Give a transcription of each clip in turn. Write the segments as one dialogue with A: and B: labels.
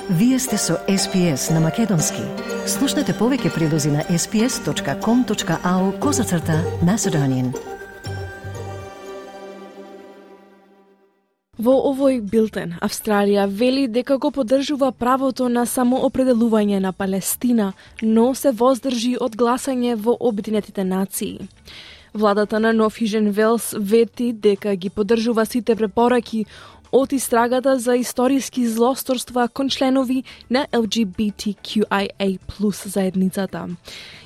A: Вие сте со SPS на Македонски. Слушнете повеќе прилози на sps.com.au/Macedonian.
B: Во овој билтен, Австралија вели дека го поддржува правото на самоопределување на Палестина, но се воздржи од гласање во Обединетите нации. Владата на Нов Јужен Велс вети дека ги поддржува сите препораки од истрагата за историски злосторства кон членови на LGBTQIA+ заедницата.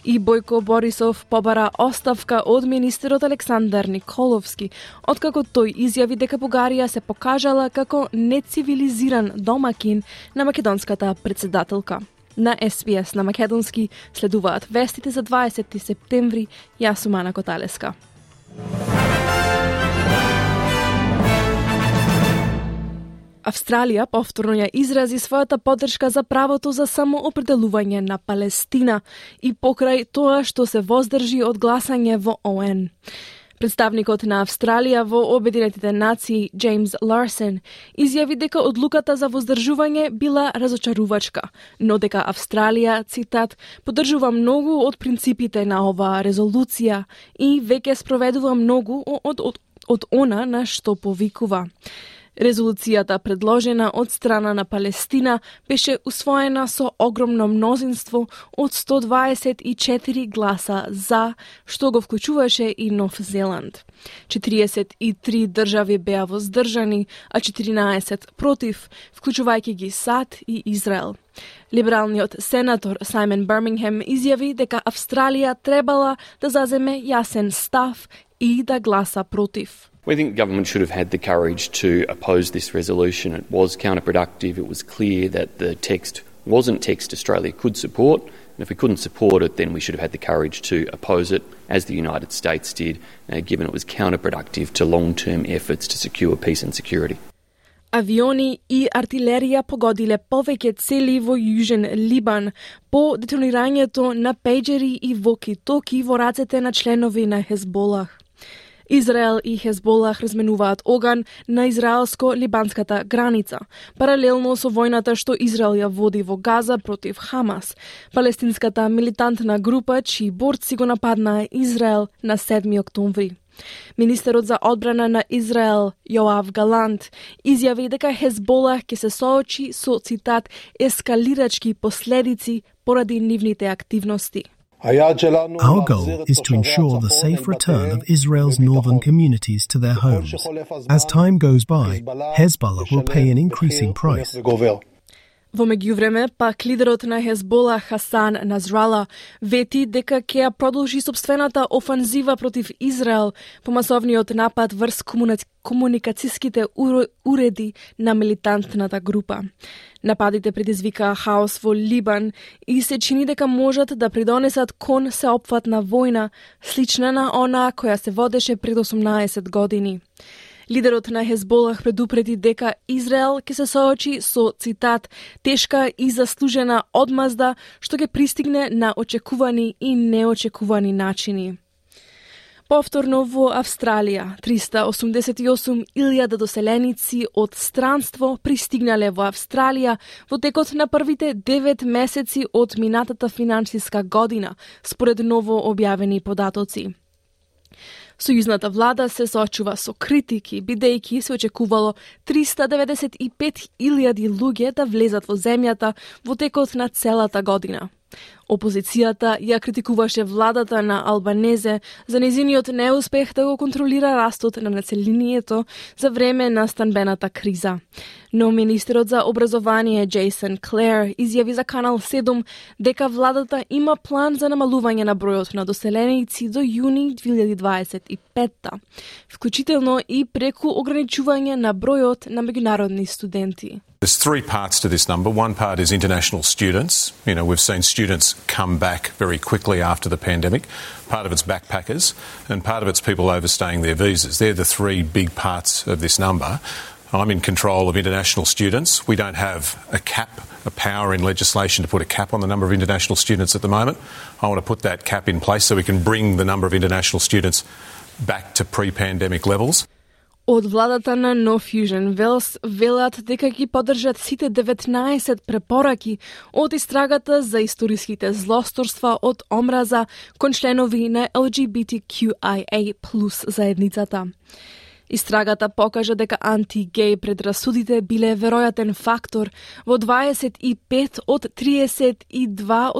B: И Бојко Борисов побара оставка од министерот Александар Николовски, откако тој изјави дека Бугарија се покажала како нецивилизиран домакин на македонската председателка. На SPS на Македонски следуваат вестите за 20 септември. Јас сум Ана Коталеска. Австралија повторно ја изрази својата поддршка за правото за самоопределување на Палестина и покрај тоа што се воздржи од гласање во ООН. Представникот на Австралија во Обединетите нации, Джеймс Ларсен, изјави дека одлуката за воздржување била разочарувачка, но дека Австралија, цитат, поддржува многу од принципите на оваа резолуција и веќе спроведува многу од она на што повикува. Резолуцијата, предложена од страна на Палестина, беше усвоена со огромно мнозинство од 124 гласа за, што го вклучуваше и Нов Зеланд. 43 држави беа воздржани, а 14 против, вклучувајќи ги САД и Израел. Либералниот сенатор Сајмон Бирмингем изјави дека Австралија требала да заземе јасен став и да гласа против.
C: We think government should have had the courage to oppose this resolution. It was counterproductive. It was clear that the text wasn't text Australia could support. And if we couldn't support it, then we should have had the courage to oppose it, as the United States did, given it was counterproductive to long-term efforts to secure peace and security.
B: Авиони и артилерија погодиле повеќе цели во Јужен Либан по детонирањето на пејџери и воки-токи во рацете на членови на Хезболах. Израел и Хезболах разменуваат оган на израелско-либанската граница, паралелно со војната што Израел ја води во Газа против Хамас, палестинската милитантна група чии борци го нападнаа Израел на 7 октомври. Министерот за одбрана на Израел, Јоав Галант, изјави дека Хезболах ќе се соочи со, цитат, ескалирачки последици поради нивните активности.
D: Our goal is to ensure the safe return of Israel's northern communities to their homes. As time goes by, Hezbollah will pay an increasing price.
B: Во меѓувреме, пак лидерот на Хезбола Хасан Назрала вети дека ќе ја продолжи собствената офанзива против Израел по масовниот напад врз комуникацијските уреди на милитантната група. Нападите предизвикаа хаос во Либан и се чини дека можат да придонесат кон сеопфатна војна, слична на она која се водеше пред 18 години. Лидерот на Хезболах предупреди дека Израел ќе се соочи со, цитат, тешка и заслужена одмазда што ќе пристигне на очекувани и неочекувани начини. Повторно во Австралија, 388.000 доселеници од странство пристигнале во Австралија во текот на првите 9 месеци од минатата финансиска година, според ново објавени податоци. Сојузната влада се соочува со критики, бидејќи се очекувало 395.000 луѓе да влезат во земјата во текот на целата година. Опозицијата ја критикуваше владата на Албанезе за незиниот неуспех да го контролира растот на населението за време на станбената криза. Но министерот за образование Джейсон Клер изјави за Канал 7 дека владата има план за намалување на бројот на доселеници до јуни 2025, вклучително и преку ограничување на бројот на меѓународни студенти.
E: There's three parts to this number. One part is international students. You know, we've seen students come back very quickly after the pandemic. Part of it's backpackers and part of it's people overstaying their visas. They're the three big parts of this number. I'm in control of international students. We don't have a cap, a power in legislation to put a cap on the number of international students at the moment. I want to put that cap in place so we can bring the number of international students back to pre-pandemic levels.
B: Од владата на No Fusion Wales велат дека ги поддржат сите 19 препораки од истрагата за историските злосторства од омраза кон членови на LGBTQIA+ заедницата. Истрагата покажа дека анти-геј предрасудите биле веројатен фактор во 25 од 32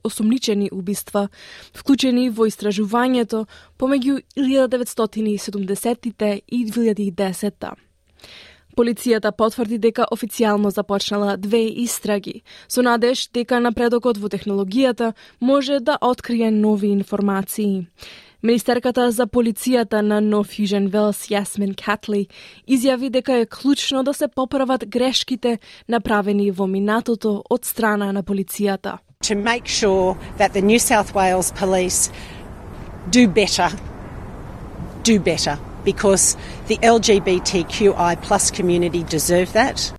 B: осомничени убиства, вклучени во истражувањето помеѓу 1970-тите и 2010-та. Полицијата потврди дека официјално започнала 2 истраги, со надеж дека напредокот во технологијата може да открие нови информации. Министерката за полицијата на No Fusion Wales, Yasmin Catley, изјави дека е клучно да се поправат грешките направени во минатото од страна на полицијата.
F: To make sure that the New South Wales Police do better, because the LGBTQI+ community deserve that.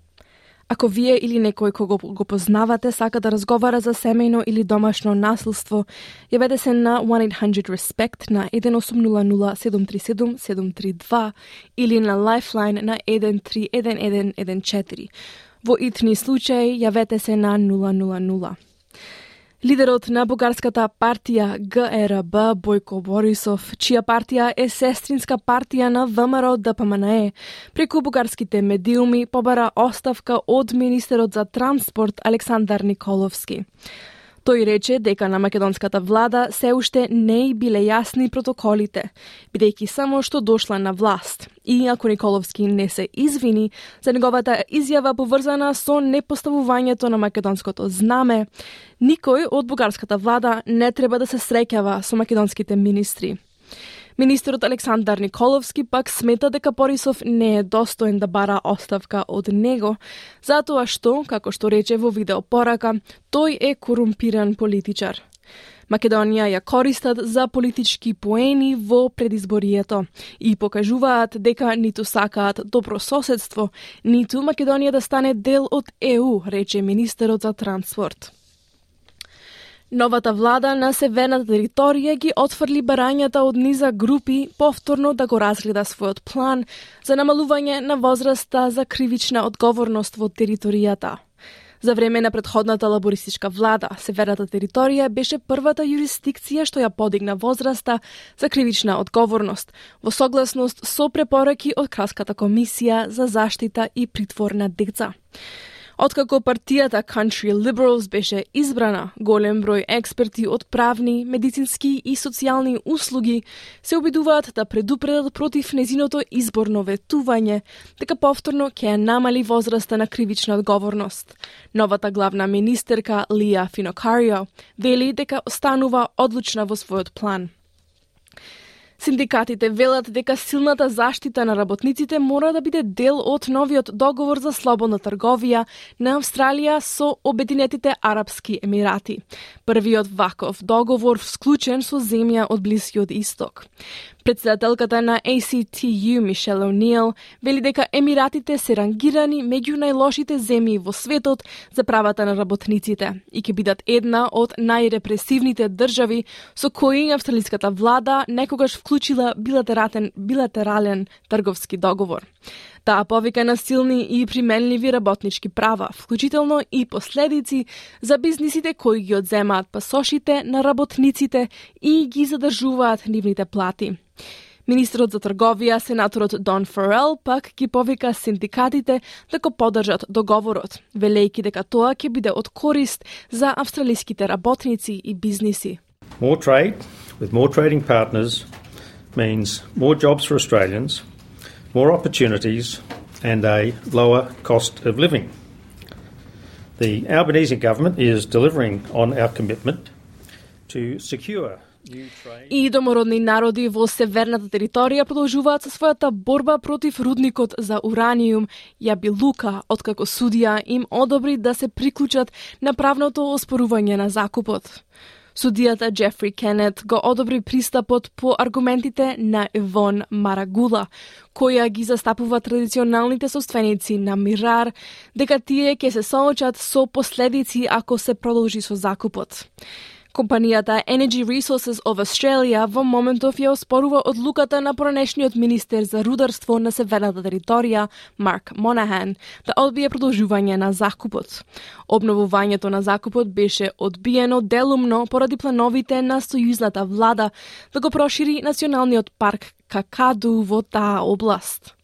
B: Ако вие или некој кого го познавате сака да разговара за семејно или домашно насилство, јавете се на 1-800-RESPECT на 1800-737-732 или на Lifeline на 131114. Во итни случаи јавете се на 000. Лидерот на бугарската партија ГРБ Бојко Борисов, чија партија е сестринска партија на ВМРО-ДПМНЕ, преку бугарските медиуми побара оставка од министерот за транспорт Александар Николовски. Тој рече дека на македонската влада се уште не биле јасни протоколите, бидејќи само што дошла на власт. И ако Николовски не се извини за неговата изјава поврзана со непоставувањето на македонското знаме, никој од бугарската влада не треба да се среќава со македонските министри. Министерот Александар Николовски пак смета дека Борисов не е достоен да бара оставка од него, затоа што, како што рече во видеопорака, тој е корумпиран политичар. Македонија ја користат за политички поени во предизборието и покажуваат дека ниту сакаат добро соседство, ниту Македонија да стане дел од ЕУ, рече министерот за транспорт. Новата влада на северната територија ги отфрли барањата од низа групи повторно да го разгледа својот план за намалување на возраста за кривична одговорност во територијата. За време на претходната лабористичка влада, северната територија беше првата юрисдикција што ја подигна возраста за кривична одговорност, во согласност со препораки од Кралската комисија за заштита и притвор на деца. Откако партијата Country Liberals беше избрана, голем број експерти од правни, медицински и социјални услуги се обидуваат да предупредат против незиното изборно ветување, дека повторно ќе намали возраста на кривична одговорност. Новата главна министерка Лија Финокарио вели дека останува одлучна во својот план. Синдикатите велат дека силната заштита на работниците мора да биде дел од новиот договор за слободна трговија на Австралија со Обединетите Арапски Емирати. Првиот ваков договор склучен со земја од Блискиот Исток. Председателката на ACTU Мишел О'Нил вели дека Емиратите се рангирани меѓу најлошите земји во светот за правата на работниците и ќе бидат една од најрепресивните држави со кои австралиската влада некогаш вклучила билатерален трговски договор. Таа повика на силни и применливи работнички права, вклучително и последици за бизнисите кои ги одземаат пасошите на работниците и ги задржуваат нивните плати. Министерот за трговија, сенаторот Дон Фарел, пак ги повика синдикатите да го поддржат договорот, велејќи дека тоа ќе биде од корист за австралиските работници и бизниси.
G: More trade with more trading partners means more jobs for Australians, more opportunities and a lower cost of living. The Albanese government is delivering on our commitment to secure new trade.
B: И домородни народи во северната територија продолжуваат со својата борба против рудникот за ураниум Јабилука, откако судија им одобри да се приклучат на правното оспорување на закупот. Судијата Джефри Кенет го одобри пристапот по аргументите на Евон Марагула, која ги застапува традиционалните собственици на Мирар, дека тие ќе се соочат со последици ако се продолжи со закупот. Компанијата Energy Resources of Australia во моментов ја оспорува одлуката на поранешниот министер за рударство на северната територија, Марк Монахан, да одбие продолжување на закупот. Обновувањето на закупот беше одбиено делумно поради плановите на сојузната влада да го прошири националниот парк Какаду во таа област.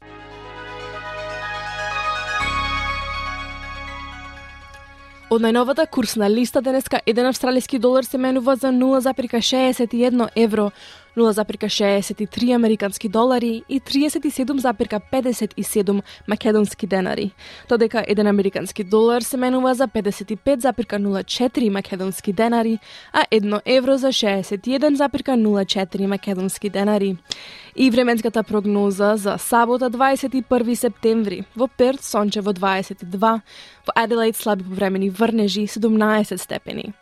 B: Од најновата курсна листа денеска 1 австралиски долар се менува за 0,61 евро, 0,63 американски долари и 37,57 македонски денари, додека 1 американски долар се менува за 55,04 македонски денари, а 1 евро за 61,04 македонски денари. И временската прогноза за сабота 21 септември, во Перт сончево 22, во Аделаид слаби повремени врнежи 17 степени.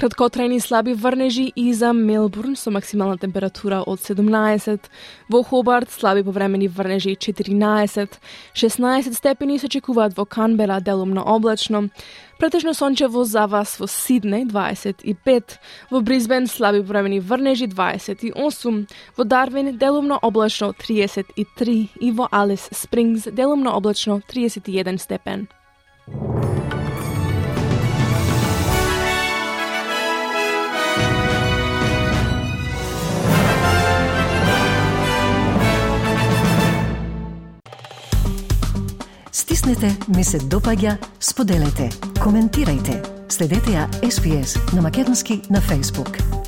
B: Краткотрајни слаби врнежи и за Мелбурн со максимална температура од 17, во Хобарт слаби повремени врнежи 14, 16 степени се очекуваат во Канбера делумно облачно, претежно сончево за вас во Сиднеј 25, во Брисбен слаби повремени врнежи 28, во Дарвин делумно облачно 33 и во Алис Спрингс делумно облачно 31 степен.
A: Стиснете, ми се допаѓа, споделете, коментирајте. Следете ја SPS на Македонски на Facebook.